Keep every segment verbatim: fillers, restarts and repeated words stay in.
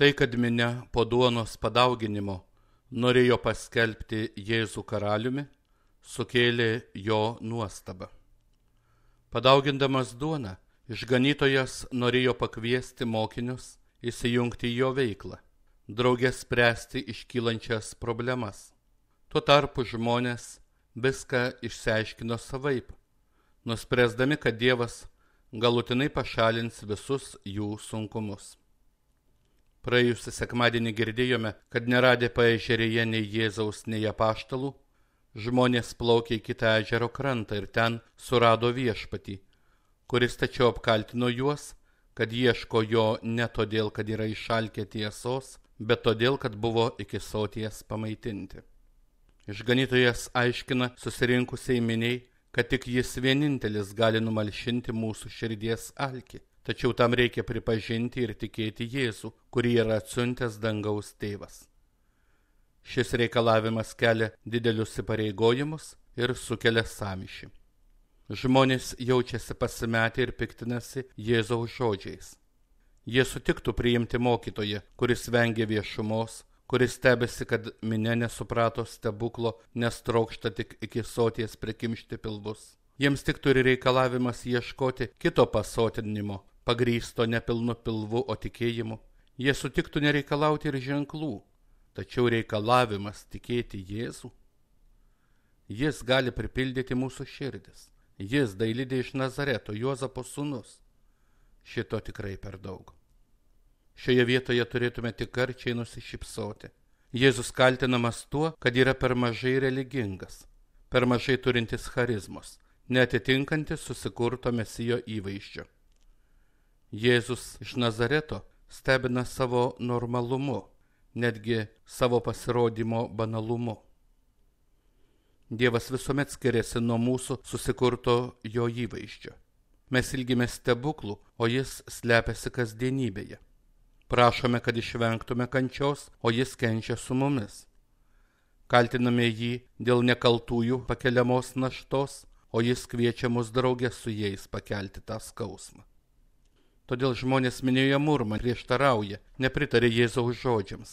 Tai, kad minia po duonos padauginimo norėjo paskelbti Jėzų karaliumi, sukėlė jo nuostabą. Padaugindamas duoną, išganytojas norėjo pakviesti mokinius įsijungti į jo veiklą, drauge spręsti iškylančias problemas. Tuo tarpu žmonės viską išsiaiškino savaip, nuspręsdami, kad Dievas galutinai pašalins visus jų sunkumus. Praėjusį sekmadienį girdėjome, kad neradę paežerėje nei Jėzaus, nei apaštalų, žmonės plaukė į kitą ežero krantą ir ten surado viešpatį, kuris tačiau apkaltino juos, kad ieško jo ne todėl, kad yra išalkę tiesos, bet todėl, kad buvo iki soties pamaitinti. Išganytojas aiškina susirinkusiai miniai, kad tik jis vienintelis gali numalšinti mūsų širdies alkį. Tačiau tam reikia pripažinti ir tikėti Jėzų, kurį yra atsiuntęs dangaus tėvas. Šis reikalavimas kelia didelius įpareigojimus ir sukelia sąmyšį. Žmonės jaučiasi pasimetę ir piktinasi Jėzaus žodžiais. Jie sutiktų priimti mokytoją, kuris vengia viešumos, kuris stebisi, kad minia nesuprato stebuklo, nes trokšta tik iki soties prikimšti pilvus. Jiems tik turi reikalavimas ieškoti kito pasotinimo, pagrįsto nepilnu pilvu, o tikėjimu. Jie sutiktų nereikalauti ir ženklų, tačiau reikalavimas tikėti Jėzų. Jis gali pripildyti mūsų širdis. Jis dailidė iš Nazareto, Juozapo sūnus. Šito tikrai per daug. Šioje vietoje turėtume tik karčiai nusišypsoti. Jėzus kaltinamas tuo, kad yra per mažai religingas, per mažai turintis charizmos, neatitinkantis susikurto Mesijo įvaizdžio. Jėzus iš Nazareto stebina savo normalumu, netgi savo pasirodymo banalumu. Dievas visuomet skiriasi nuo mūsų susikurto jo įvaizdžio. Mes ilgimės stebuklų, o jis slepiasi kasdienybėje. Prašome, kad išvengtume kančios, o jis kenčia su mumis. Kaltiname jį dėl nekaltųjų pakeliamos naštos, o jis kviečia mus draugę su jais pakelti tą skausmą. Todėl žmonės minioje murma, prieštarauja, nepritarė Jėzaus žodžiams.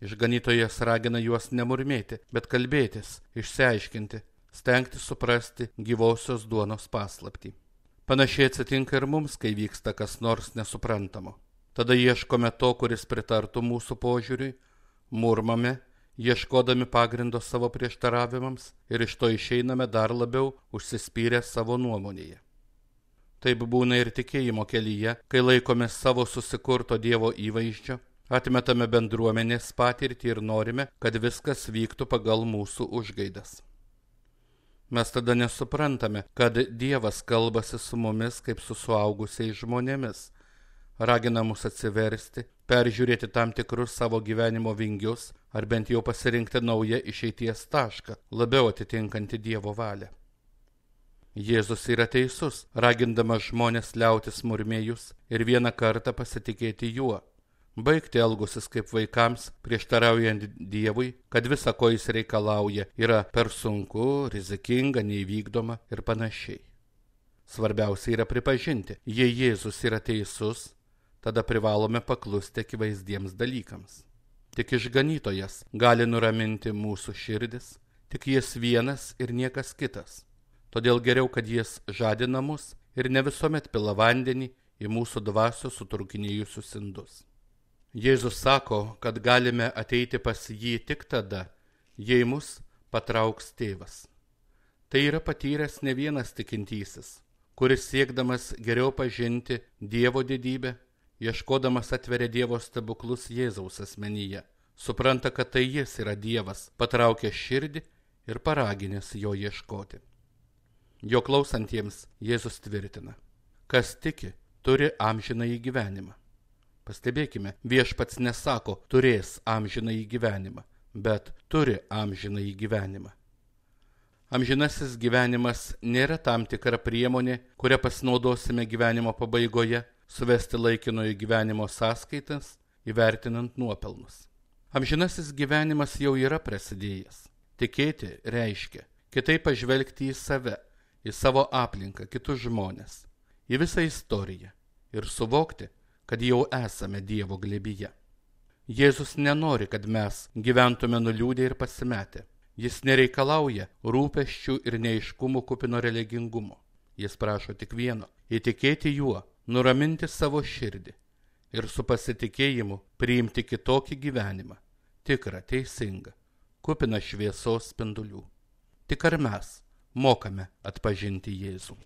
Išganytojas ragina juos nemurmėti, bet kalbėtis, išsiaiškinti, stengti suprasti gyvosios duonos paslaptį. Panašiai atsitinka ir mums, kai vyksta kas nors nesuprantamo. Tada ieškome to, kuris pritartų mūsų požiūriui, murmame, ieškodami pagrindo savo prieštaravimams ir iš to išeiname dar labiau užsispyrę savo nuomonėje. Taip būna ir tikėjimo kelyje, kai laikome savo susikurto Dievo įvaizdžio, atmetame bendruomenės patirtį ir norime, kad viskas vyktų pagal mūsų užgaidas. Mes tada nesuprantame, kad Dievas kalbasi su mumis kaip su suaugusiais žmonėmis, ragina mus atsiversti, peržiūrėti tam tikrus savo gyvenimo vingius ar bent jau pasirinkti naują išeities tašką, labiau atitinkantį Dievo valią. Jėzus yra teisus, ragindamas žmonės liautis murmėjus ir vieną kartą pasitikėti juo, baigti elgusis kaip vaikams, prieštaraujant Dievui, kad visa, ko jis reikalauja, yra per sunku, rizikinga, neįvykdoma ir panašiai. Svarbiausia yra pripažinti, jei Jėzus yra teisus, tada privalome paklusti akivaizdiems dalykams. Tik išganytojas gali nuraminti mūsų širdis, tik jis vienas ir niekas kitas. Todėl geriau, kad jis žadina mus ir ne visuomet pila vandenį į mūsų dvasios sutrūkinėjusius indus. Jėzus sako, kad galime ateiti pas jį tik tada, jei mus patrauks tėvas. Tai yra patyręs ne vienas tikintysis, kuris siekdamas geriau pažinti Dievo didybę, ieškodamas atveria Dievo stebuklus Jėzaus asmenyje, supranta, kad tai jis yra Dievas, patraukęs širdį ir paraginęs jo ieškoti. Jo klausantiems Jėzus tvirtina, kas tiki, turi amžinąjį gyvenimą. Pastebėkime, viešpats nesako, turės amžinąjį gyvenimą, bet turi amžinąjį gyvenimą. Amžinasis gyvenimas nėra tam tikra priemonė, kurią pasinaudosime gyvenimo pabaigoje, suvesti laikinojo gyvenimo sąskaitas, įvertinant nuopelnus. Amžinasis gyvenimas jau yra prasidėjęs. Tikėti reiškia kitaip pažvelgti į save, į savo aplinką, kitus žmonės, į visą istoriją ir suvokti, kad jau esame Dievo glėbyje. Jėzus nenori, kad mes gyventume nuliūdę ir pasimetę. Jis nereikalauja rūpesčių ir neiškumų kupino religingumo. Jis prašo tik vieno – įtikėti juo, nuraminti savo širdį ir su pasitikėjimu priimti kitokį gyvenimą, tikrą, teisingą, kupiną šviesos spindulių. Tik ar mes mokame atpažinti Jėzų?